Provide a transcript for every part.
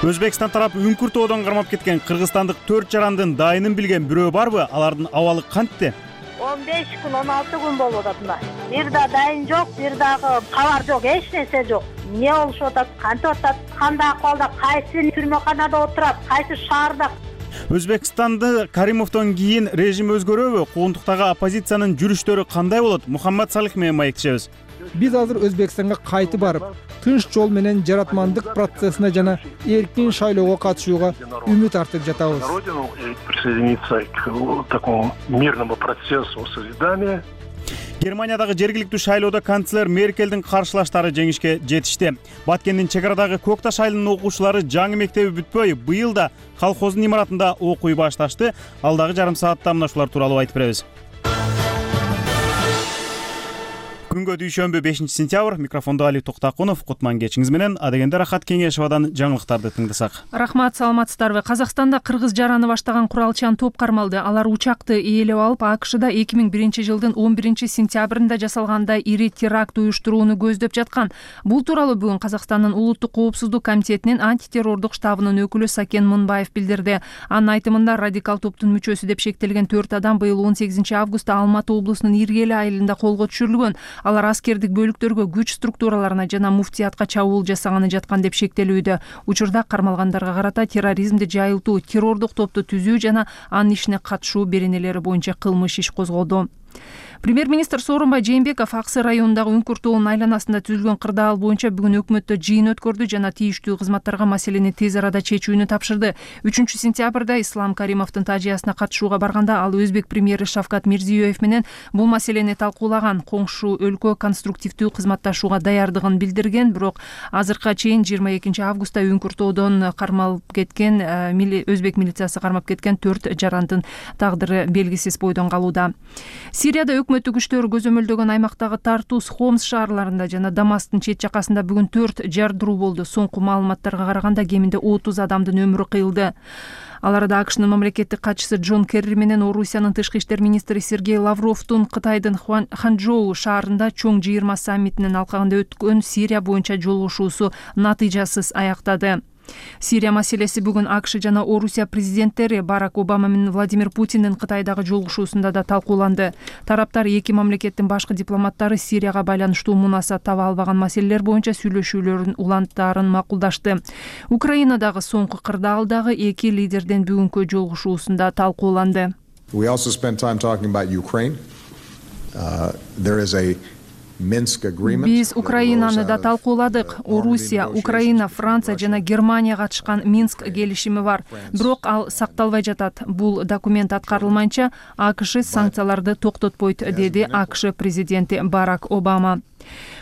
Өзбекстан тарап үңкүр тоодон кармап кеткен кыргызстандык 4 жарандын дайынын билген бирөө барбы? Алардын абалы кантте? 15 күн, 16 күн болуп атат мына. Бир да дайын жок, бир дагы кабар жок, эч нерсе жок. Эмне болушуп атат, кантип атат, кандай акыбалда, кайсы түрмөканада отурат, кайсы шаарда? Өзбекстанда Каримовдон кийин режим өзгөрөбү? Куугунтуктагы оппозициянын жүрүштөрү кандай болот? Мухаммад Салих менен маектешебиз. Биз азыр Өзбекстанга кайтып барып, тынч жол менен жаратмандык процессине жана эркин шайлоого катышууга үмүт артып жатабыз. Присоединиться к такому мирному процессу созидания. Германиядагы жергиликтүү шайлоодо канцлер Меркелдин каршылаштары жеңишке жетишти. Баткендин чек арадагы Көк Таш айылынын окуучулары жаңы мектеби бүтпөй, быйыл да колхоздун имаратында окуй башташты. Алдагы жарым саатта мына ушулар тууралуу айтып беребиз. Күнгө дүйшөмбү 5-сентябрь, микрофондо Али Токтакунов, кутман кечиңиз менен Адегенде Рахат Кеңешевадан жаңылыктарды тыңдасак. Рахмат, саламатсыздарбы? Казакстанда кыргыз жараны баштаган куралчан топ кармалды. Алар учакты ээлеп алып, АКШда 2001 жылдын 11-сентябрында жасалгандай ири теракт уюштурууну көздөп жаткан. Бул тууралуу бүгүн Казакстандын улуттук коопсуздук комитетинин антитеррордук штабынын өкүлү Сакен Мынбаев билдирди. Анын айтымында радикал топтун мүчөсү деп шектелген 4 адам быйыл 18 августта Алматы облусунун Иргели айылында колго түшүрүлгөн. Алар аскердик бөлүктөргө, күч структураларына жана муфтиятка чабуул жасаганы жаткан деп шектелүүдө. Учурда кармалгандарга карата терроризмди жайылтуу, террордук топту түзүү жана анын ишине катышуу беренелери боюнча кылмыш иш козголду. Премьер-министр Сооронбай Жээнбеков Аксы районундагы Үңкүр тоонун айланасында түзүлгөн кырдаал боюнча бүгүн өкмөттө жыйын өткөрдү жана тийиштүү кызматтарга маселени тез арада чечүүнү тапшырды. 3-сентябрда Ислам Каримовдун тажыясына катышууга барганда ал өзбек премьери Шавкат Мирзиёев менен бул маселени талкуулаган. Коңшу өлкө конструктивдүү кызматташууга даярдыгын билдирген, бирок азыркыга чейин 22 августта Үңкүр тоодон кармалып кеткен, өзбек милициясы кармап кеткен 4 жарандын тагдыры белгисиз бойдон калууда. Сирияда өкмөттүк күчтөр көзөмөлдөгөн аймактагы Тартус, Хомс шаарларында жана Дамасктын чет жакасында бүгүн 4 жардыруу болду. Соңку маалыматтарга караганда кеминде 30 адамдын өмүрү кыйылды. Аларда АКШнын мамлекеттик катчысы Джон Керри менен Орусиянын тышкы иштер министри Сергей Лавровдун Кытайдын Ханчжоу шаарында чоң жыйырма саммитинин алкагында өткөн Сирия боюнча жолугушуусу натыйжасыз аяктады. Сирия маселеси бүгүн АКШ жана Орусия президенттери Барак Обама менен Владимир Путиндин Кытайдагы жолугушуусунда да талкууланды. Тараптар эки мамлекеттин башкы дипломаттары Сирияга байланыштуу мунасат таба албаган маселелер боюнча сүйлөшүүлөрдүн уланттарын макулдашты. Украинадагы соңку кырдаалдагы эки лидердин бүгүнкү жолугушуусунда талкууланды. We also spent time talking about Ukraine. There is a Биз Украинаны да талкууладык. Орусия, Украина, Франция жана Германия катышкан Минск келишими бар. Бирок ал сакталбай жатат. Бул документ аткарылмайынча АКШ санкцияларды токтотпойт, деди АКШ президенти Барак Обама.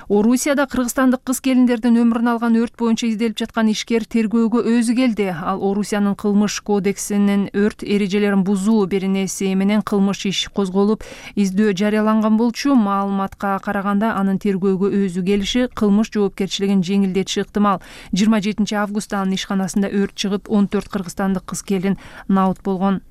Орусияда кыргызстандык кыз келиндердин өмүрүн алган өрт боюнча изделип жаткан ишкер тергөөгө өзү келди. Ал Орусиянын кылмыш кодексинин өрт эрежелерин бузуу беренеси менен кылмыш иш козголуп, издөө жарыяланган болчу. Маалыматка караганда анын тергөөгө өзү келиши кылмыш жоопкерчилигин жеңилдетиши ыктымал. 27 августта анын ишканасында өрт чыгып, 14 кыргызстандык кыз келин наут болгон.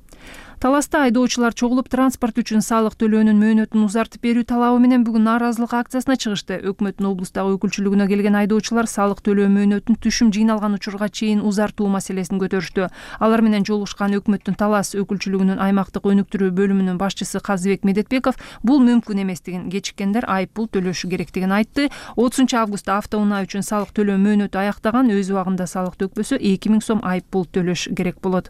Таласта айдоочулар чогулуп транспорт үчүн салык төлөөнүн мөөнөтүн узартып берүү талабы менен бүгүн нааразылык акциясына чыгышты. Өкмөттүн облустагы өкүлчүлүгүнө келген айдоочулар салык төлөө мөөнөтүн түшүм жыйналган учурга чейин узартуу маселесин көтөрүштү. Алар менен жолугушкан өкмөттүн Талас өкүлчүлүгүнүн аймактык өнүктүрүү бөлүмүнүн башчысы Казыбек Медетбеков бул мүмкүн эместигин, кечиккендер айыппул төлөшү керектигин айтты. 30 августта автоунаа үчүн салык төлөө мөөнөтү аяктаган, өз убагында салык төкпөсө 2000 сом айыппул төлөш керек болот.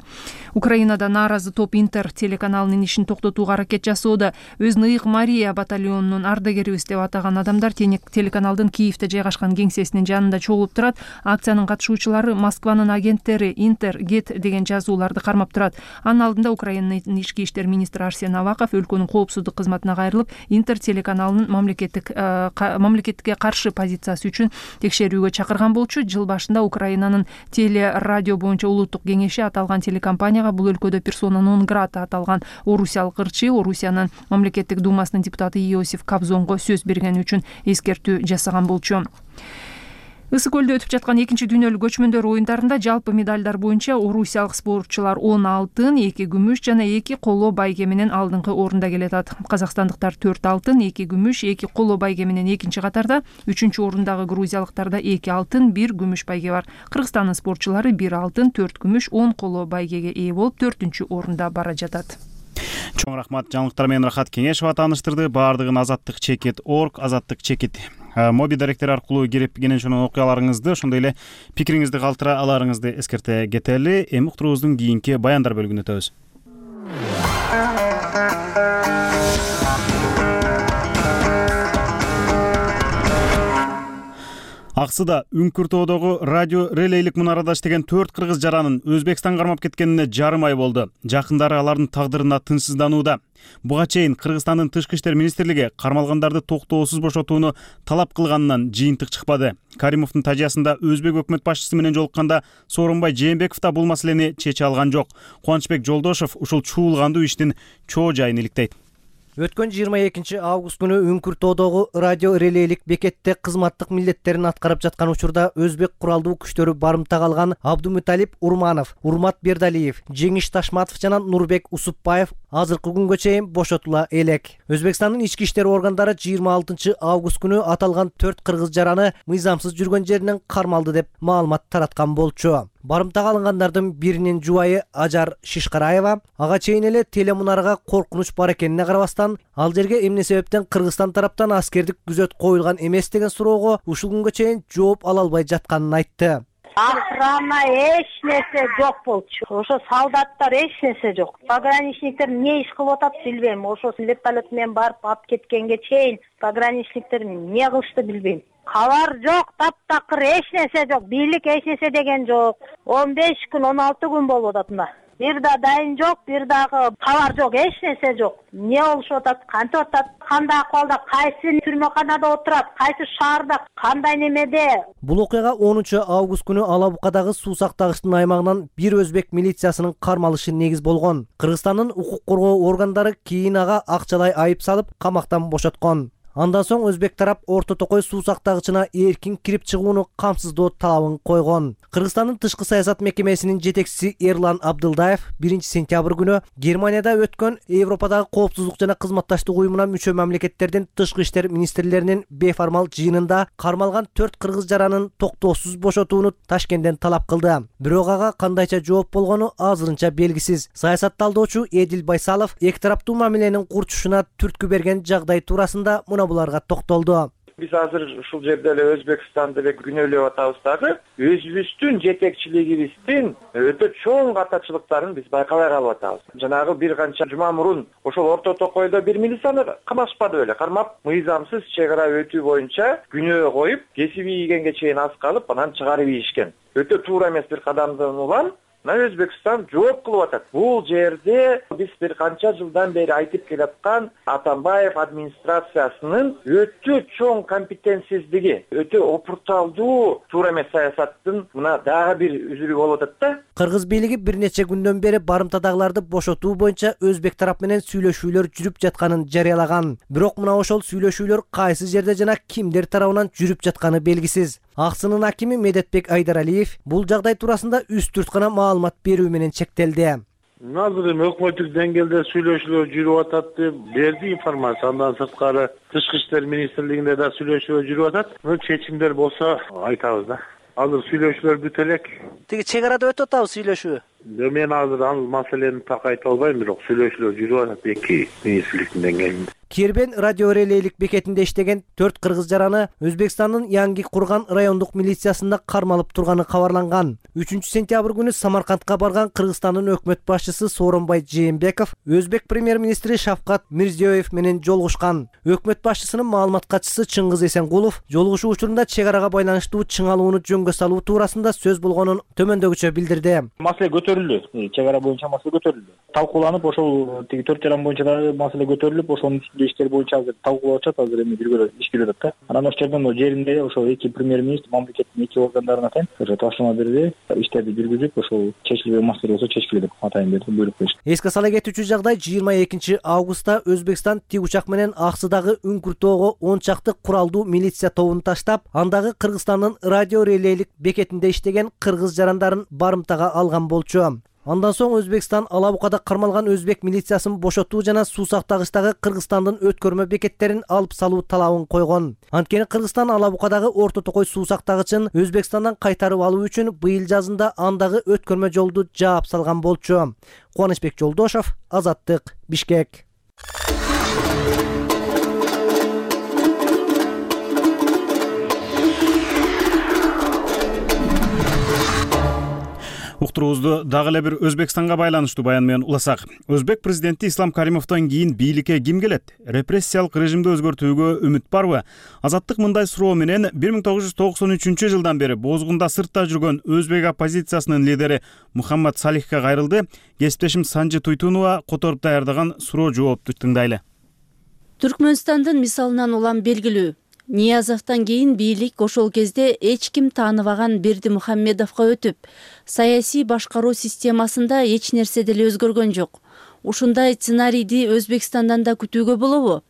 Украинада нааразы топ телеканалынын ишин токтотууга аракет жасоодо. Өзүн Ыйык Мария батальонунун ардагерибиз деп атаган адамдар телеканалдын Киевде жайгашкан кеңсесинин жанында чогулуп турат. Акциянын катышуучулары Москванын агенттери Интер, Гет деген жазууларды кармап турат. Анын алдында Украинанын ички иштер министри Арсен Аваков өлкөнүн коопсуздук кызматына кайрылып, Интер телеканалынын мамлекетке каршы позициясы үчүн текшерүүгө чакырган болчу. Жыл башында Украинанын телерадио боюнча улуттук кеңеши аталган телекомпанияга бул өлкөдө персона нон грата аталган орусиялык ырчы Орусиянын мамлекеттик думасынын депутаты Иосиф Кобзонго сөз бергени үчүн эскертүү жасаган болчу. Ысык көлдө өтүп жаткан 2-дүйнөлүк көчмөндөр оюндарында жалпы медалдар боюнча орусиялык спортчулар 10 алтын, 2 күмүш жана 2 коло байге менен алдыңкы орунда келатат. Казакстандыктар 4 алтын, 2 күмүш, 2 коло байге менен экинчи катарда, 3-чү орундагы грузиялыктарда 2 алтын, 1 күмүш байге бар. Кыргызстандын спортчулары 1 алтын, 4 күмүш, 10 коло байгеге ээ болуп 4-чү орунда бара жатат. Чоң рахмат, жаңылыктар менен Рахат Кеңешова тааныштырды. Баардыгын azattik.org, azattik моби даректери аркылуу кирип кенен ошонун окуяларыңызды, ошондой эле пикириңизди калтыра аларыңызды эскерте кетели. Эми уктуруубуздун кийинки баяндар бөлүгүнө өтөбүз. Аксыда Үңкүртөдөгү радио релейлик мунарада иштеген 4 кыргыз жаранын Өзбекстан кармап кеткенине жарым ай болду. Жакындары алардын тагдырына тынчсызданууда. Буга чейин Кыргызстандын Тышкы иштер министрлиги кармалгандарды токтоосуз бошотууну талап кылганынан жыйынтык чыкпады. Каримовдун тажыясында Өзбек өкмөт башчысы менен жолукканда Сооронбай Жээнбеков да бул маселени чече алган жок. Кубанычбек Жолдошов ушул чуулгандуу иштин чоо жайын иликтейт. Өткөн 22 август күнү Үңкүртөдөгү радио релейлик бекетте кызматтык милдеттерин аткарып жаткан учурда Өзбек куралдуу күчтөрү барымтага алган Абдумуталип Урманов, Урмат Бердалиев, Жеңиш Ташматов жана Нурбек Усупбаев азыркы күнгө чейин бошотула элек. Өзбекстандын ички иштер органдары 26 август күнү аталган 4 кыргыз жараны мыйзамсыз жүргөн жеринен кармалды деп маалымат тараткан болчу. Барымтага алынгандардын биринин жубайы Ажар Шишкараева ага чейин эле телемунарага коркунуч бар экенине карабастан, ал жерге эмне себептен Кыргызстан тараптан аскердик күзөт коюлган эмес деген суроого ушул күнгө чейин жооп ала албай жатканын айтты. Охрана эч нерсе жок болчу. Ошо солдаттар эч нерсе жок. Пограничниктер эмне иш кылып атат билбейм. Ошо вертолет менен барып алып кеткенге чейин пограничниктер эмне кылышты билбейм. Кабар жок, таптакыр эч нерсе жок. Бийлик эч нерсе деген жок. 15 күн, 16 күн болуп атат мына. Бир да дайын жок, бир дагы кабар жок, эч нерсе жок. Эмне болушуп атат, кантип атат, кандай акыбалда, кайсы түрмөканада отурат, кайсы шаарда, кандай немеде. Бул окуяга 10 август күнү Алабукадагы суу сактагычтын аймагынан бир өзбек милициясынын кармалышы негиз болгон. Кыргызстандын укук коргоо органдары кийин ага акчалай айып салып, камактан бошоткон. Андан соң Өзбек тарап Орто Токой суу сактагычына эркин кирип чыгууну камсыздоо талабын койгон. Кыргызстандын тышкы саясат мекемесинин жетекчиси Эрлан Абдылдаев 1 сентябрь күнү Германияда өткөн Европадагы коопсуздук жана кызматташтык уюмуна мүчө мамлекеттердин тышкы иштер министрлеринин бейформал жыйынында кармалган 4 кыргыз жаранын токтоосуз бошотууну Ташкенттен талап кылды. Бирок ага кандайча жооп болгону азырынча белгисиз. Саясатталдоочу Эдил Байсалов эки тараптуу мамиленин курчушуна түрткү берген жагдай туурасында буларга токтолду. Биз азыр ушул жерде эле Өзбекстанды эле күнөөлөп атабыз дагы. Өзүбүздүн жетекчилигибиздин өтө чоң катачылыктарын биз байкабай калып атабыз. Жанагы бир канча жума мурун ошол Орто Токойдо бир милицияны камашпады беле, кармап мыйзамсыз чек ара өтүү боюнча күнөө коюп, кесиби ийгенге чейин аз калып, анан чыгарып ийишкен. Өтө туура эмес бир кадамдан улам Өзбекстан жооп кылып атат. Бул жерде биз бир канча жылдан бери айтып келаткан Атамбаев администрациясынын өтө чоң компетенсиздиги, өтө опурталдуу туура эмес саясаттын мына дагы бир үзүрү болуп атат да. Кыргыз бийлиги бир нече күндөн бери барымтадагыларды бошотуу боюнча Өзбек тарап менен сүйлөшүүлөр жүрүп жатканын жарыялаган. Бирок мына ошол сүйлөшүүлөр кайсы жерде жана кимдер тарабынан жүрүп жатканы белгисиз. Аксынын акими Медетбек Айдаралиев бул жагдай туурасында үстүрт гана маалымат берүү менен чектелди. Азыр эми өкмөттүк деңгээлде сүйлөшүүлөр жүрүп атат деп берди информация. Андан сырткары Тышкы иштер министрлигинде да сүйлөшүүлөр жүрүп атат. Чечимдер болсо айтабыз да. Азыр сүйлөшүүлөр бүтө элек. Тиги чек арада өтүп атабы сүйлөшүү? Мен азыр ал маселени так айта албайм, бирок сүйлөшүүлөр жүрүп атат эки министрликтин деңгээлинде. Кербен радио релейлик бекетинде иштеген 4 кыргыз жараны Өзбекстандын Янги курган райондук милициясында кармалып турганы кабарланган. 3 сентябрь күнү Самаркандка барган Кыргызстандын өкмөт башчысы Сооронбай Жээнбеков Өзбек премьер-министри Шавкат Мирзиёев менен жолугушкан. Өкмөт башчысынын маалымат катчысы Чыңгыз Эсенгулов жолугушуу учурунда чек арага байланыштуу чыңалууну жөнгө салуу туурасында сөз болгонун төмөндөгүчө билдирди. Маселе көтөрүлдү. Чек ара боюнча маселе көтөрүлдү. Талкууланып, ошол тиги 4 жаран боюнча да маселе көтөрүлүп, ошонун эле иштер боюнча азыр талкуулап атышат, азыр эми биргө иш келип атат да. Анан ошол жерден жеринде ошол эки премьер-министр мамлекеттин эки органдарына атайын тапшырма берди, иштерди жүргүзүп ошол чечилбеген маселе болсо чечкиле деп атайын берди, буйрук беришти. Эске сала кетүүчү жагдай 22 августта Өзбекстан тик учак менен Аксыдагы Үңкүртөөгө 10 чакты куралдуу милиция тобун таштап, андагы Кыргызстандын радио релейлик бекетинде иштеген кыргыз жарандарын барымтага алган болчу. Андан соң Өзбекстан Алабукада кармалган өзбек милициясын бошотуу жана суу сактагычтагы Кыргызстандын өткөрмө бекеттерин алып салуу талабын койгон. Анткени Кыргызстан Алабукадагы Орто Токой суу сактагычын Өзбекстандан кайтарып алуу үчүн быйыл жазында андагы өткөрмө жолду жаап салган болчу. Кубанычбек Жолдошов, Азаттык, Бишкек. Уктуруубузду дагы эле бир Өзбекстанга байланыштуу баян менен уласак. Өзбек президенти Ислам Каримовдон кийин бийликке ким келет? Репрессиялык режимди өзгөртүүгө үмүт барбы? Азаттык мындай суроо менен 1993 жылдан бери бозгунда сыртта жүргөн өзбек оппозициясынын лидери Мухаммад Салихке кайрылды. Кесиптешим Санжы Туйтунова которуп даярдаган суроо жоопту тыңдайлы. Түркмөнстандын мисалынан улам белгилүү. Ниязовдон кийин бийлик ошол кезде эч ким тааныбаган Берди Мухаммедовго өтүп, саясий башкаруу системасында эч нерсе деле өзгөргөн жок. Ушундай сценарийди Өзбекстандан да күтүүгө болобу?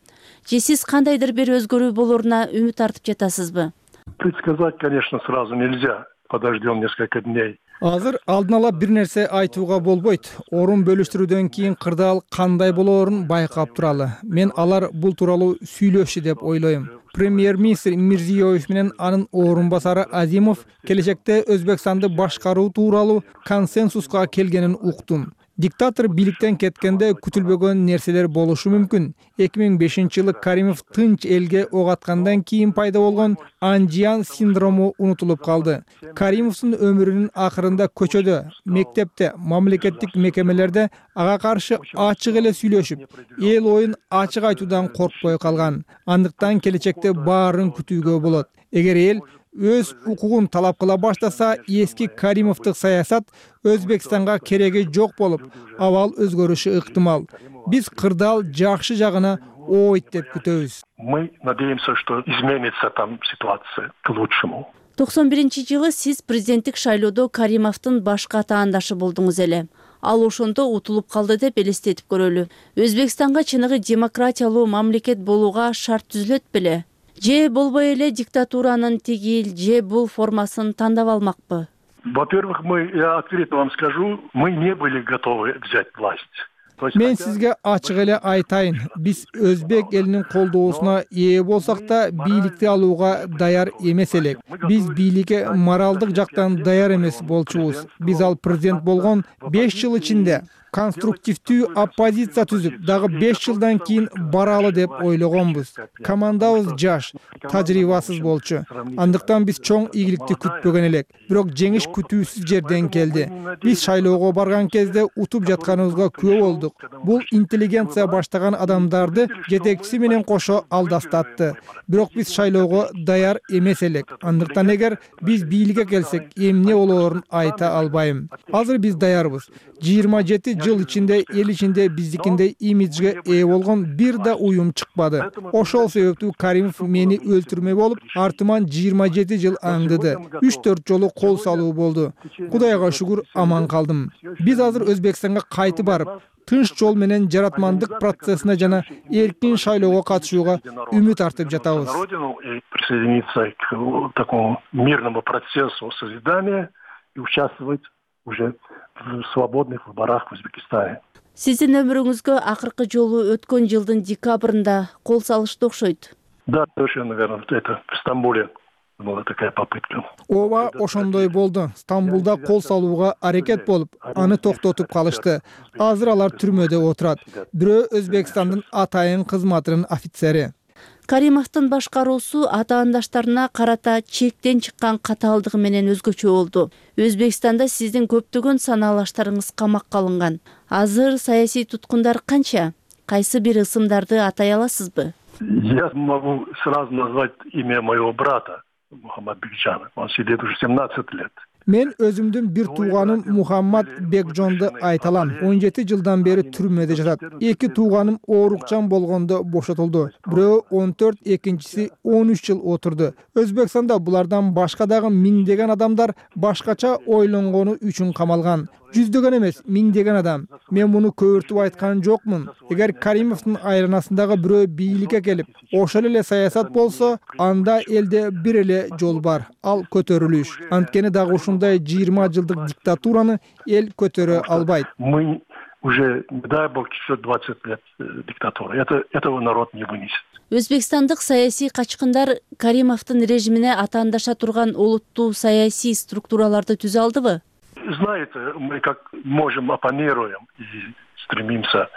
Же сиз кандайдыр бир өзгөрүү болоруна үмүт артып жатасызбы? Предсказать, конечно, сразу нельзя. Подождем несколько дней. Азыр алдын ала бир нерсе айтууга болбойт. Орун бөлүштүрүүдөн кийин кырдаал кандай болоорун байкап туралы. Мен алар бул тууралуу сүйлөшчү деп ойлойм. Премьер-министр Мирзиёев менен анын орун басары Азимов келечекте Өзбекстанды башкаруу тууралуу консенсуска келгенин уктум. Диктатор бийликтен кеткенде күтүлбөгөн нерселер болушу мүмкүн. 2005-жылы Каримов тынч элге ок аткандан кийин пайда болгон Анжиан синдрому унутулуп калды. Каримовдун өмүрүнүн акырында көчөдө, мектепте, мамлекеттик мекемелерде ага каршы ачык эле сүйлөшүп, эл оюн ачык айтуудан коркпой калган. Андыктан келечекте баарын күтүүгө болот. Эгер эл өз укугун талап кыла баштаса, эски Каримовдук саясат Өзбекстанга кереги жок болуп, абал өзгөрүшү ыктымал. Биз кырдаал жакшы жагына ойт деп күтөбүз. Мы надеемся, что изменится там ситуация к лучшему. 91-жылы сиз президенттик шайлоодо Каримовдун башка атаандашы болдуңуз эле. Ал ошондо утулуп калды деп элестетип көрөлү. Өзбекстанга чыныгы демократиялуу мамлекет болууга шарт түзүлөт беле? Же болбой эле диктатуранын тигил же бул формасын тандап алмакпы? Во-первых, я открыто вам скажу, мы не были готовы взять власть. Мен сизге ачык эле айтайын. Биз өзбек элинин колдоосуна ээ болсак да бийликти алууга даяр эмес элек. Биз бийликке моралдык жактан даяр эмес болчубуз. Биз ал президент болгон 5 жыл ичинде конструктивдүү оппозиция түзүп, дагы 5 жылдан кийин баралы деп ойлогонбуз. Командабыз жаш, тажрыйбасыз болчу. Андыктан биз чоң ийгиликти күтпөгөн элек. Бирок жеңиш күтүүсүз жерден келди. Биз шайлоого барган кезде утуп жатканыбызга күбө болдук. Бул интеллигенция баштаган адамдарды жетекчиси менен кошо алдастатты. Бирок биз шайлоого даяр эмес элек. Андыктан эгер биз бийликке келсек, эмне болоорун айта албайм. Азыр биз даярбыз. 27 жыл ичинде эл ичинде биздикиндей имиджге ээ болгон бир да уюм чыкпады. Ошол себептүү Каримов мени өлтүрмөй болуп, артыман 27 жыл аңдыды. 3-4 жолу кол салуу болду. Кудайга шүгүр аман калдым. Биз азыр Өзбекстанга кайтып барып, тынч жол менен жаратмандык процессине жана эркин шайлоого катышууга үмүт артып жатабыз. Присоединиться к такому мирному процессу созидания и участвовать уже в свободных выборах в Узбекистане. Сиздин өмүрүңүзгө акыркы жолу өткөн жылдын декабрында кол салышты окшойт. Да, совершенно верно. Это в Стамбуле была такая попытка. Ооба, ошондой болду. Стамбулда кол салууга аракет болуп, аны токтотуп калышты. Азыр алар түрмөдө отурат. Бирөө Өзбекстандын атайын кызматынын офицери. Каримовдун башкаруусу атаандаштарына карата чектен чыккан катаалдыгы менен өзгөчө болду. Өзбекстанда сиздин көптөгөн санаалаштарыңыз камакка алынган. Азыр саясий туткундар канча? Кайсы бир ысымдарды атай аласызбы? Я могу сразу назвать имя моего брата, Мухаммад Бекжана. Он сидит уже 17 лет. Мен өзүмдүн бир тууганым Мухаммад Бекжонду айта алам. 17 жылдан бери түрмөдө жатат. 2 тууганым оорукчан болгондо бошотулду. Бирөө 14, экинчиси 13 жыл отурду. Өзбекстанда булардан башка дагы миңдеген адамдар башкача ойлонгону үчүн камалган. Жүздөгөн эмес, миңдеген адам. Мен муну көбүртүп айткан жокмун. Эгер Каримовдун айланасындагы бирөө бийликке келип, ошол эле саясат болсо, анда элде бир эле жол бар. Ал көтөрүлүш. Анткени дагы ушундай 20 жылдык диктатураны эл көтөрө албайт. Мы уже, дай бог, еще 20 лет диктатуры. Этого народ не вынесет. Өзбекстандык саясий качкындар Каримовдун режимине атаандаша турган олуттуу саясий структураларды түзө алдыбы? Знаете, мы как можем оппонируем и стремимся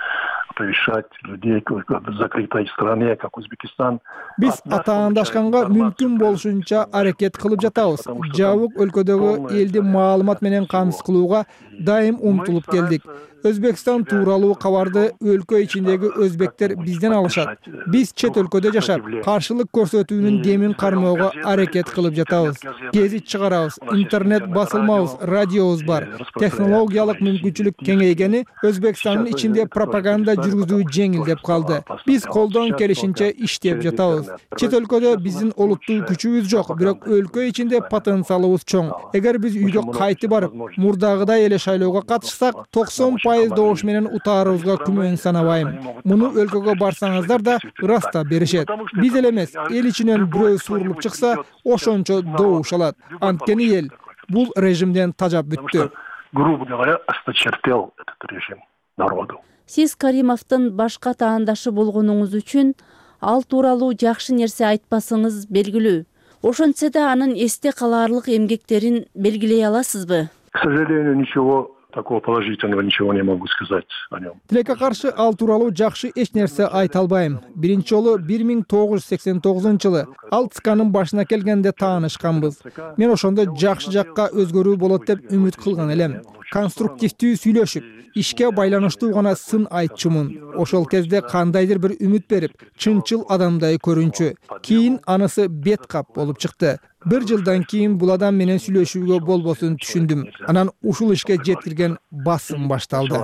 оповещать людей в закрытой стране, как Узбекистан. Биз атаандашканга мүмкүн болушунча аракет кылып жатабыз. Жабык өлкөдөгү элди маалымат менен камсыз кылууга дайым умтулуп келдик. Өзбекстан тууралуу кабарды өлкө ичиндеги өзбектер бизден алышат. Биз чет өлкөдө жашап, каршылык көрсөтүүнүн демин кармоого аракет кылып жатабыз. Гезит чыгарабыз, интернет басылмабыз, радиобуз бар. Технологиялык мүмкүнчүлүк кеңейгени Өзбекстандын ичинде пропаганда жүргүзүү жеңилдеп калды. Биз колдон келишинче иштеп жатабыз. Чет өлкөдө биздин олуттуу күчүбүз жок, бирок өлкө ичинде потенциалыбыз чоң. Эгер биз үйгө кайтып барып, мурдагыдай эле шайлоого катышсак, 90% добуш менен утаарыбызга күмөн санабайм. Муну өлкөгө барсаңыздар да ыраста беришет. Биз эле эмес, эл ичинен бирөө суурулуп чыкса, ошончо добуш алат. Анткени эл бул режимден тажап бүттү. Грубо говоря, осточертел этот режим народу. Сиз Каримовдун башка таандашы болгонуңуз үчүн ал тууралуу жакшы нерсе айтпасыңыз белгилүү. Ошентсе да анын эсте калаарлык эмгектерин белгилей аласызбы? К сожалению, ничего такого положительного ничего не могу сказать о нем. Тилекке каршы ал тууралуу жакшы эч нерсе айта албайм. Биринчи жолу 1989-жылы ал ЦКнын башына келгенде таанышканбыз. Мен ошондо жакшы жакка өзгөрүү болот деп үмүт кылган элем. Конструктивдүү сүйлөшүп, ишке байланыштуу гана сын айтчумун. Ошол кезде кандайдыр бир үмүт берип, чынчыл адамдай көрүнчү. Кийин анысы бет кап болуп чыкты. 1 жылдан кийин бул адам менен сүйлөшүүгө болбосун түшүндүм. Анан ушул ишке жеткирген басым башталды.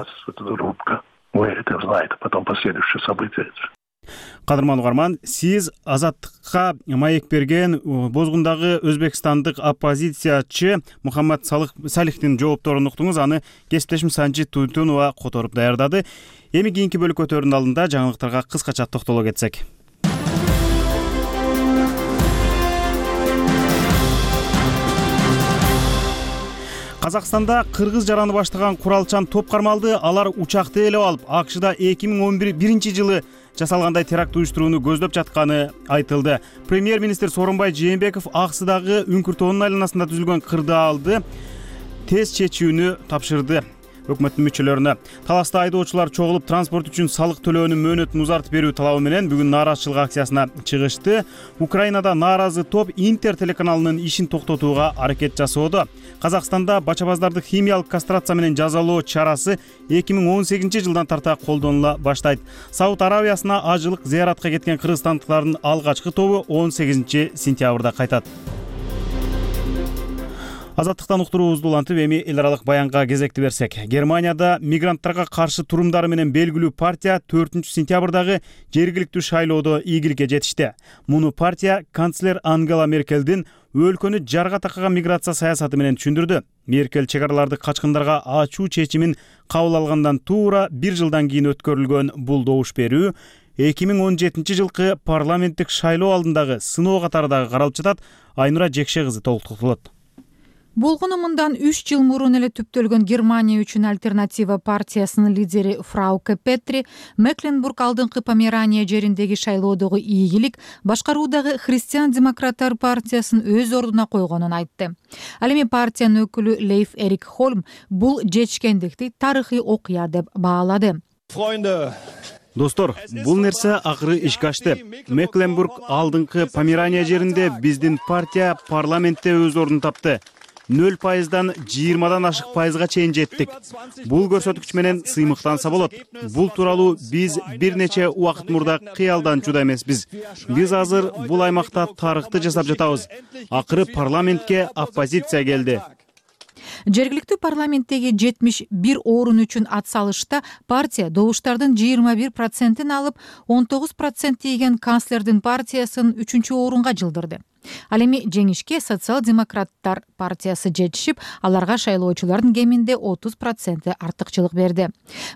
Кадырман угарман, сиз Азаттыкка маек берген Бозгундагы өзбекстандык оппозициячы Мухаммад Салихтин жоопторун уктуңуз. Аны кесиптешим Санжи Тунтунова которуп даярдады. Эми кийинки бөлүкөтөрдүн алдында жаңылыктарга кыскача токтоло кетсек. Казакстанда кыргыз жараны баштаган куралчан топ кармалды. Алар учакты ээлеп алып, АКШда 2011-жылы жасалгандай теракт уюштурууну көздөп жатканы айтылды. Премьер-министр Сооронбай Жээнбеков Аксыдагы Үңкүр тоонун айланасында түзүлгөн кырдаалды тез чечүүнү тапшырды өкмөттүн мүчөлөрүнө. Таласта айдоочулар чогулуп транспорт үчүн салык төлөөнүн мөөнөтүн узартып берүү талабы менен бүгүн нааразычылык акциясына чыгышты. Украинада нааразы топ Интер телеканалынын ишин токтотууга аракет жасоодо. Казакстанда бачабаздарды химиялык кастрация менен жазалоо чарасы 2018-жылдан тарта колдонула баштайт. Сауд Аравиясына ажылык зыяратка кеткен кыргызстандыктардын алгачкы тобу 18-сентябрда кайтат. Азаттыктан уктуруубузду улантып, эми эл аралык баянга кезекти берсек. Германияда мигранттарга каршы турумдары менен белгилүү партия 4-сентябрдагы жергиликтүү шайлоодо ийгиликке жетишти. Муну партия канцлер Ангела Меркелдин өлкөнү жарга такаган миграция саясаты менен түшүндүрдү. Меркель чегараларды качкындарга ачуу чечимин кабыл алгандан туура 1 жылдан кийин өткөрүлгөн бул добуш берүү 2017-жылкы парламенттик шайлоо алдындагы сыноо катары дагы каралып жатат. Айнура Жекше кызы толуктолот. Болгону мындан 3 жыл мурун эле түптөлгөн Германия үчүн альтернатива партиясынын лидери Фрауке Петри Мекленбург алдыңкы Померания жериндеги шайлоодогу ийгилик башкаруудагы Христиан-демократтар партиясын өз ордуна койгонун айтты. Ал эми партиянын өкүлү Лейф Эрик Холм бул жетишкендикти тарыхый окуя деп баалады. Достор, бул нерсе акыры ишке ашты. Мекленбург алдыңкы Померания жеринде биздин партия парламентте өз ордун тапты. 0%дан 20-дан ашык пайызга чейин жеттик. Бул көрсөткүч менен сыймыктанса болот. Бул тууралуу биз бир нече убакыт мурда кыялданчуда эмеспиз. Биз азыр бул аймакта тарыхты жасап жатабыз. Акыры парламентке оппозиция келди. Жергиликтүү парламенттеги 71 орун үчүн ат салышта партия добуштардын 21% алып, 19% тийген канцлердин партиясын 3-орунга жылдырды. Ал эми жеңишке социал-демократтар партиясы жетишип, аларга шайлоочулардын кеминде 30% артыкчылык берди.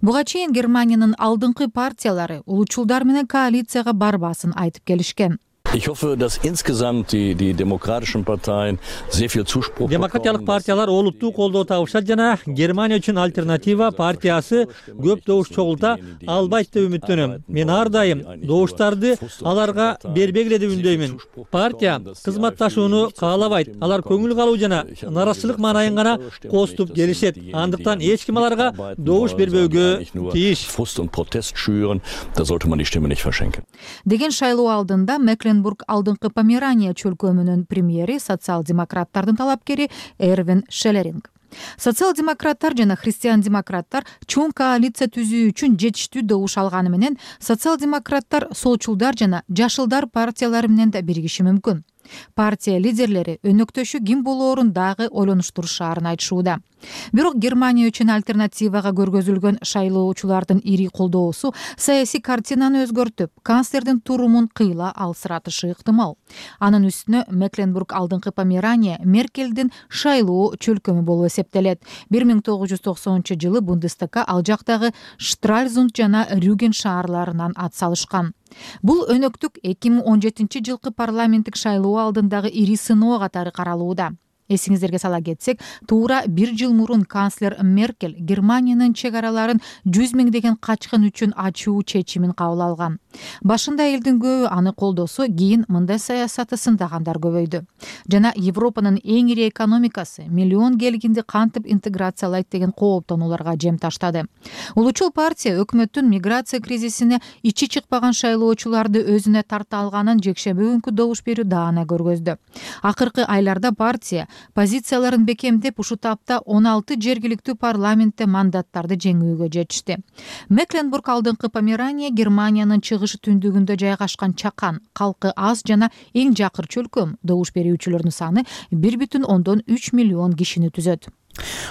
Буга чейин Германиянын алдыңкы партиялары улуучулдар менен коалицияга барбасын айтып келишкен. Ich hoffe, dass insgesamt die demokratischen Parteien sehr viel Zuspruch bekommen. Демократиялык партиялар олуттуу колдоо табышат жана Германия үчүн альтернатива партиясы көп добуш чогулта албайт деп үмүттөнөм. Мен ар дайым добуштарды аларга бербегиле деп үндөймүн. Партия кызматташууну каалабайт. Алар көңүл калуу жана нараазычылык маанайын гана коступ келишет. Андыктан эч ким аларга добуш бербөөгө тийиш. Frust und Protest schüren, da sollte man die Stimme nicht verschenken. Деген шайлоо алдында Мекленбург алдыңкы Померания чөлкөмүнүн премьери социал-демократтардын талапкери Эрвин Шеллеринг. Социал-демократтар жана христиан-демократтар чоң коалиция түзүү үчүн жетиштүү добуш алганы менен социал-демократтар солчулдар жана жашылдар партиялары менен да биригиши мүмкүн. Партия лидерлери өнөктөшү ким болоорун дагы ойлонуштурушаарын айтышууда. Бирок Германия үчүн альтернативага көргөзүлгөн шайлоочулардын ири колдоосу саясий картинаны өзгөртүп, канцлердин турумун кыйла алсыратышы ыктымал. Анын үстүнө Мекленбург алдыңкы Померания Меркелдин шайлоо чөлкөмү болуп эсептелет. 1990-жылы Бундестагга ал жактагы Штральзунд жана Рюген шаарларынан ат салышкан. Бул өнөктүк 2017-жылкы парламенттик шайлоо алдындагы ири сыноо катары каралууда. Эсиңиздерге сала кетсек, туура 1 жыл мурун канцлер Меркель Германиянын чек араларын 100 миңдеген качкын үчүн ачуу чечимин кабыл алган. Башында элдин көбү аны колдосо, кийин мындай саясаты сындагандар көбөйдү. Жана Европанын эң ири экономикасы миллион келгинди кантип интеграциялайт деген кооптонууларга жем таштады. Улуучул партия өкмөттүн миграция кризисине ичи чыкпаган шайлоочуларды өзүнө тарта алганын жекшемби күнкү добуш берүү даана көргөздү. Акыркы айларда партия позицияларын бекемдеп, ушул тапта 16 жергиликтүү парламентте мандаттарды жеңүүгө жетишти. Мекленбург алдыңкы Померания Германиянын чыгышы түндүгүндө жайгашкан чакан, калкы аз жана эң жакыр чөлкөм. Добуш берүүчүлөрдүн саны 1,3 миллион кишини түзөт.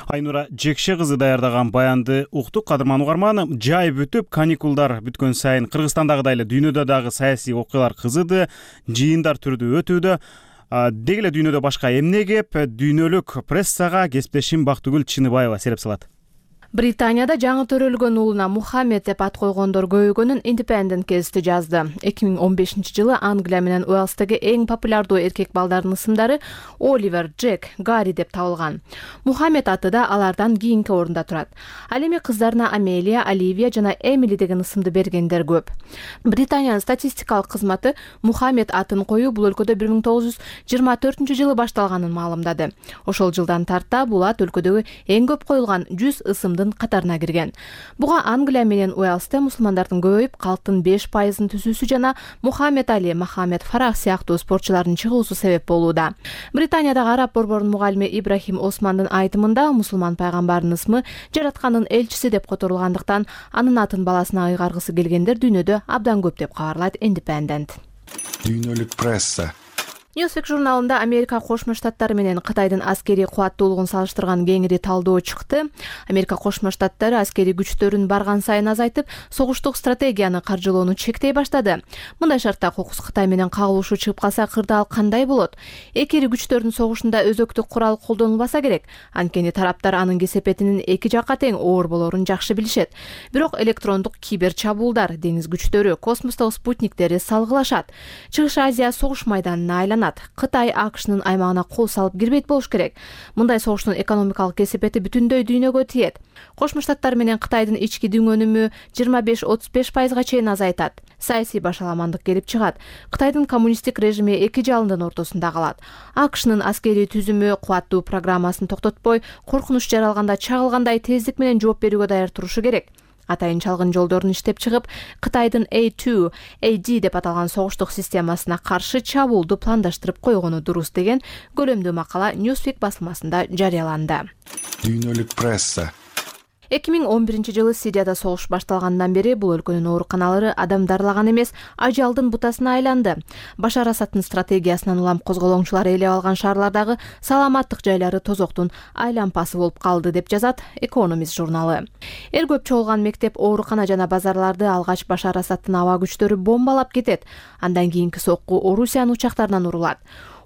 Айнура Жекше кызы даярдаган баянды уктук. Кадырман угарман, жай бүтүп, каникулдар бүткөн сайын Кыргызстандагыдай эле дүйнөдө дагы саясий окуялар кызыды, жыйындар түрдө өтүүдө. Деги эле дүйнөдө башка эмне кеп, дүйнөлүк прессага кесиптешим Бактыгүл Чыныбаева сереп салат. Британияда жаңы төрөлгөн уулуна Мухаммед деп ат койгондор көбөйгөнүн Independent гезити жазды. 2015-жылы Англия менен Уэльстеги эң популярдуу эркек балдардын ысымдары Оливер, Джек, Гарри деп табылган. Мухаммед аты да алардан кийинки орунда турат. Ал эми кыздарына Амелия, Оливия жана Эмили деген ысымды бергендер көп. Британиянын статистикалык кызматы Мухаммед атын коюу бул өлкөдө 1924-жылы башталганын маалымдады. Ошол жылдан тарта бул ат өлкөдөгү эң көп коюлган 100 ысымдын катарына кирген. Буга Англия менен Уэльсте мусулмандардын көбөйүп, калктын 5%-ын түзүүсү жана Мухаммед Али, Мохаммед Фарах сыяктуу спортчулардын чыгуусу себеп болууда. Британиядагы араб борборунун мугалими Ибрахим Османдын айтымында мусулман пайгамбардын ысмы жараткандын элчиси деп которулгандыктан анын атын баласына ыйгаргысы келгендер дүйнөдө абдан көп деп кабарлайт Independent. Дүйнөлүк пресса. Newsweek журналында Америка Кошмо Штаттары менен Кытайдын аскерий кубаттуулугун салыштырган кеңири талдоо чыкты. Америка Кошмо Штаттары аскерий күчтөрүн барган сайын азайтып, согуштук стратегияны каржылоону чектей баштады. Мындай шартта кокус Кытай менен кагылышуу чыгып калса, кырдаал кандай болот? Эки ири күчтөрдүн согушунда өзөктүк курал колдонулбаса керек. Анткени тараптар анын кесепетинин эки жакка тең оор болоорун жакшы билишет. Бирок электрондук кибер чабуулдар, деңиз күчтөрү, космостогу спутниктери салгылашат. Чыгыш Азия согуш майданына айланат. Кытай АКШнын аймагына кол салып кирбейт болуш керек. Мындай согуштун экономикалык кесепети бүтүндөй дүйнөгө тиет. Кошмо Штаттар менен Кытайдын ички дүң өнүмү 25-35%га чейин азайтат. Саясий башаламандык келип чыгат. Кытайдын коммунисттик режими эки жалындын ортосунда калат. АКШнын аскерий түзүмү кубаттуу программасын токтотпой, коркунуч жаралганда чагылгандай тездик менен жооп берүүгө даяр турушу керек. Атайын чалгын жолдорун иштеп чыгып, Кытайдын A2, AD деп аталган согуштук системасына каршы чабуулду пландаштырып койгону дурус деген көлөмдүү макала Newsweek басылмасында жарыяланды. Дүйнөлүк пресса. 2011-жылы Сирияда согуш башталгандан бери бул өлкөнүн ооруканалары адам дарылаган эмес, ажалдын бутасына айланды. Башар Асадтын стратегиясынан улам козголоңчулар ээлеп алган шаарлардагы саламаттык жайлары тозоктун айлампасы болуп калды деп жазат Экономист журналы. Эр көп чогулган мектеп, оорукана жана базарларды алгач Башар Асадтын аба күчтөрү бомбалап кетет. Андан кийинки сокку Орусиянын учактарынан урулат.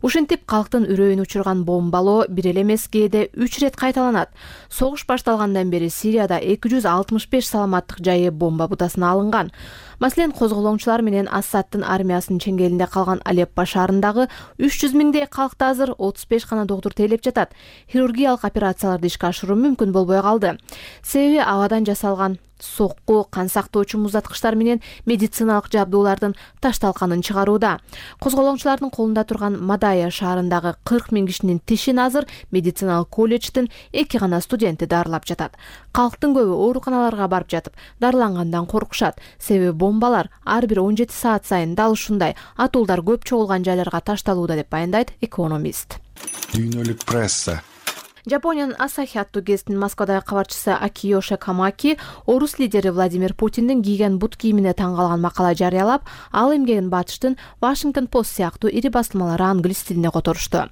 Ушинтип калктын үрөйүн учурган бомбалоо бир эле эмес, кээде 3 рет кайталанат. Согуш башталгандан бери Сирияда 265 саламаттык жайы бомба бутасына алынган. Маселен, козголоңчулар менен Асадтын армиясынын чеңгелинде калган Алеппо шаарындагы 300 миңдей калкты азыр 35 гана доктур тейлеп жатат. Хирургиялык операцияларды ишке ашыруу мүмкүн болбой калды. Себеби абадан жасалган сокку, кан сактоочу муздаткычтар менен медициналык жабдуулардын ташталканын чыгарууда. Козголоңчулардын колунда турган Мадая шаарындагы 40 миң кишинин тишин азыр медициналык колледждин 2 гана студенти дарылап жатат. Калктын көбү ооруканаларга барып жатып, дарылангандан коркушат. Себеби бомбалар ар бир 17 саат сайын дал ушундай атуулдар көп чогулган жайларга ташталууда деп баяндайт Экономист. Дүйнөлүк пресса. Жапониянын Асахи аттуу гезитинин Москвадагы кабарчысы Акиёши Камаки орус лидери Владимир Путиндин кийген бут кийимине таң калган макала жарыялап, ал эмгегин батыштын Washington Post сыяктуу ири басылмалары англис тилинде которушту.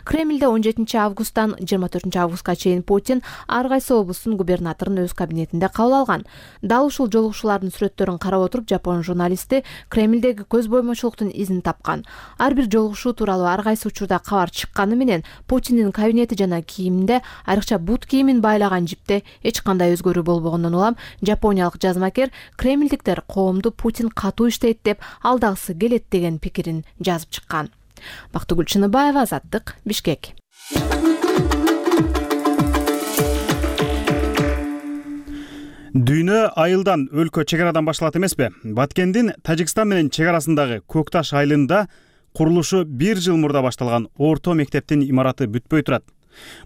Кремлде 17 августтан 24 августка чейин Путин ар кайсы облустун губернаторун өз кабинетинде кабыл алган. Дал ушул жолугушуулардын сүрөттөрүн карап отуруп, Жапон журналисти Кремлдеги көз боймочулуктун изин тапкан. Ар бир жолугушуу тууралуу ар кайсы учурда кабар чыкканы менен Путиндин кабинети жана айрыкча бут кийимин байлаган жипте эч кандай өзгөрүү болбогондон улам жапониялык жазмакер Кремлдиктер коомду Путин катуу иштейт деп алдагысы келет деген пикирин жазып чыккан. Бактыгүл Чыныбаева, Азаттык, Бишкек. Дүйнө айылдан, өлкө чек арадан башталат эмеспи? Баткендин Тажикстан менен чек арасындагы Көкташ айылында курулушу 1 жыл мурда башталган орто мектептин имараты бүтпөй турат.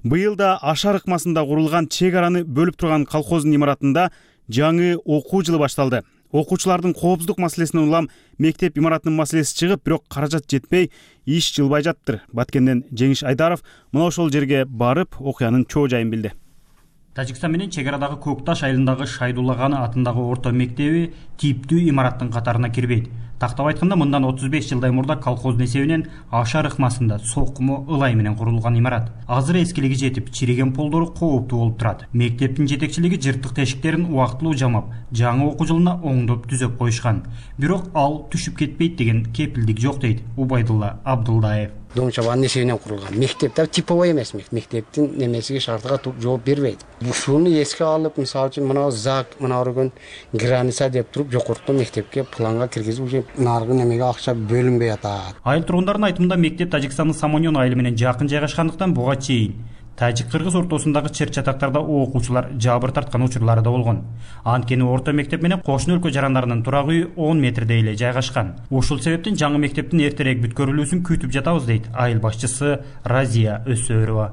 Быйыл да Ашар ыкмасында курулган чек араны бөлүп турган колхоздун имаратында жаңы окуу жылы башталды. Окуучулардын коопсуздук маселесинен улам мектеп имаратынын маселеси чыгып, бирок каражат жетпей, иш жылбай жатыптыр. Баткенден Жеңиш Айдаров мына ошол жерге барып, окуянын чоо жайын билди. Тажикстан менен чек арадагы Көкташ айылындагы Шайдулла Ганы атындагы орто мектеби типтүү имараттын катарына кирбейт. Тактап айтканда, мындан 35 жылдай мурда колхоздун эсебинен Ашар ыкмасында соккумо ылай менен курулган имарат. Азыр эскилиги жетип, чириген полдору кооптуу болуп турат. Мектептин жетекчилиги жыртык тешиктерин убактылуу жамап, жаңы окуу жылына оңдоп түзөп коюшкан. Бирок ал түшүп кетпейт деген кепилдик жок дейт Убайдулла Абдулдаев. Доңчабанын эсебинен курулган. Мектептер типовой эмес, мектептин немесиге шартыга жооп бербейт. Ушуну эске алып, мисалы үчүн мына ЗАГ, мына өргөн граница деп туруп, жогорку мектепке планга киргизип, уже наркы немеге акча бөлүнбөй атат. Айыл тургундарынын айтымында, мектеп Тажикстандын Самоньон айылы менен жакын жайгашкандыктан буга чейин тажик-кыргыз ортосундагы чыр-чатактарда окуучулар жабыр тарткан учурлары да болгон. Анткени орто мектеп менен кошуна өлкө жарандарынын турак үйү 10 метрде эле жайгашкан. Ушул себептен жаңы мектептин эртерээк бүткөрүлүүсүн күтүп жатабыз дейт айыл башчысы Разия Өсөрова.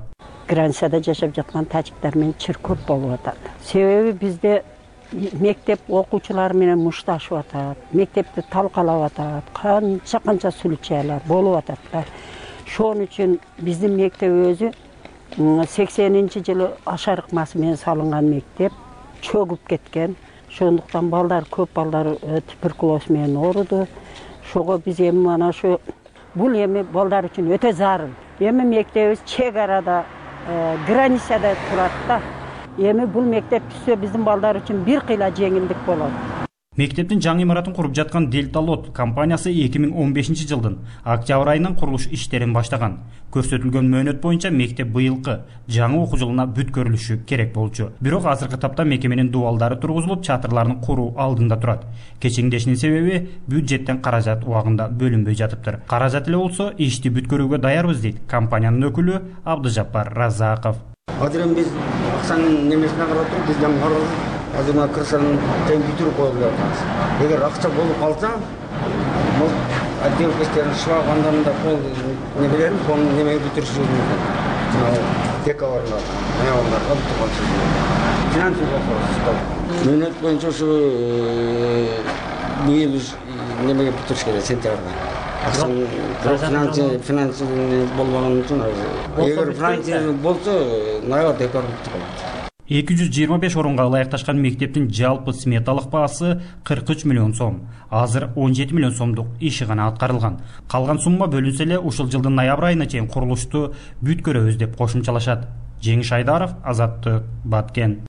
Границада жашап жаткан тажиктар менен чыр көп болуп атат. Себеби бизде мектеп окуучулары менен мушташып атат, мектепти талкалап атат, канча сүйлөчөлөр болуп атат да. Ошон үчүн биздин мектеп өзү 80-жылы Ашар ыкмасы менен салынган мектеп, чөгүп кеткен. Ошондуктан балдар, көп балдар туберкулоз менен ооруду. Ошого биз эми мана ошо бул эми балдар үчүн өтө зарыл. Эми мектебибиз чек арада, границада турат да. Эми бул мектеп түшсө биздин балдар үчүн бир кыйла жеңилдик болот. Мектептин жаңы имаратын куруп жаткан Дельта Лот компаниясы 2015 жылдын октябрь айынан курулуш иштерин баштаган. Көрсөтүлгөн мөөнөт боюнча мектеп быйылкы жаңы окуу жылына бүткөрүлүшү керек болчу. Бирок азыркы тапта мекеменин дубалдары тургузулуп, чатырларын куруу алдында турат. Кечеңдешинин себеби бюджеттен каражат убагында бөлүнбөй жатыптыр. Каражат эле болсо ишти бүткөрүүгө даярбыз дейт компаниянын өкүлү Абдыжаппар Разаков. Азыр эми биз акчанын немесине карап туруп, биз жаңы азыр мына крышанын тең бүтүрүп коюлуп жатабыз. Эгер акча болуп калса, бул отделкестерин шлагбандарында пол немелерин, пол немеге бүтүрүшү мүмкүн. Декабрда, ноябрда бүтүрүп финансий вопрос. Мөөнөт боюнча ушу быйыл немеге бүтүрүш керек, сентябрда. Финансий болбогон үчүн эгер финансий болсо, ноябрь, декабрда бүтүп калат. 225 орунга ылайыкташкан мектептин жалпы сметалык баасы 43 миллион сом. Азыр 17 миллион сомдук иши гана аткарылган. Калган сумма бөлүнсө эле ушул жылдын ноябрь айына чейин курулушту бүткөрөбүз деп кошумчалашат. Жеңиш Айдаров, Азаттык, Баткен.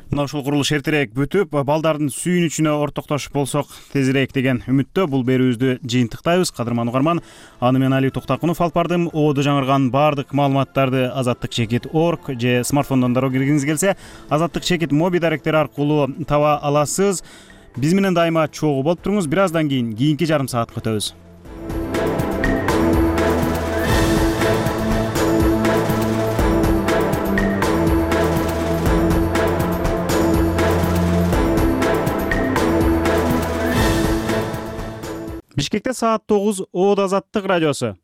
Мына ушул курулуш эртерээк бүтүп, балдардын сүйүнүчүнө ортоктошуп болсок тезирээк деген үмүттө бул берүүбүздү жыйынтыктайбыз. Кадырман угарман, аны мен Али Токтакунов алып бардым. Оодо жаңырган баардык маалыматтарды azattikchekit.org же смартфондон дароо киргиңиз келсе, Азаттык чекит моби даректери аркылуу таба аласыз. Биз менен дайыма чогуу болуп туруңуз. Бир аздан кийинки жарым саатка өтөбүз. Бишкекте саат 9 Оодо Азаттык радиосу.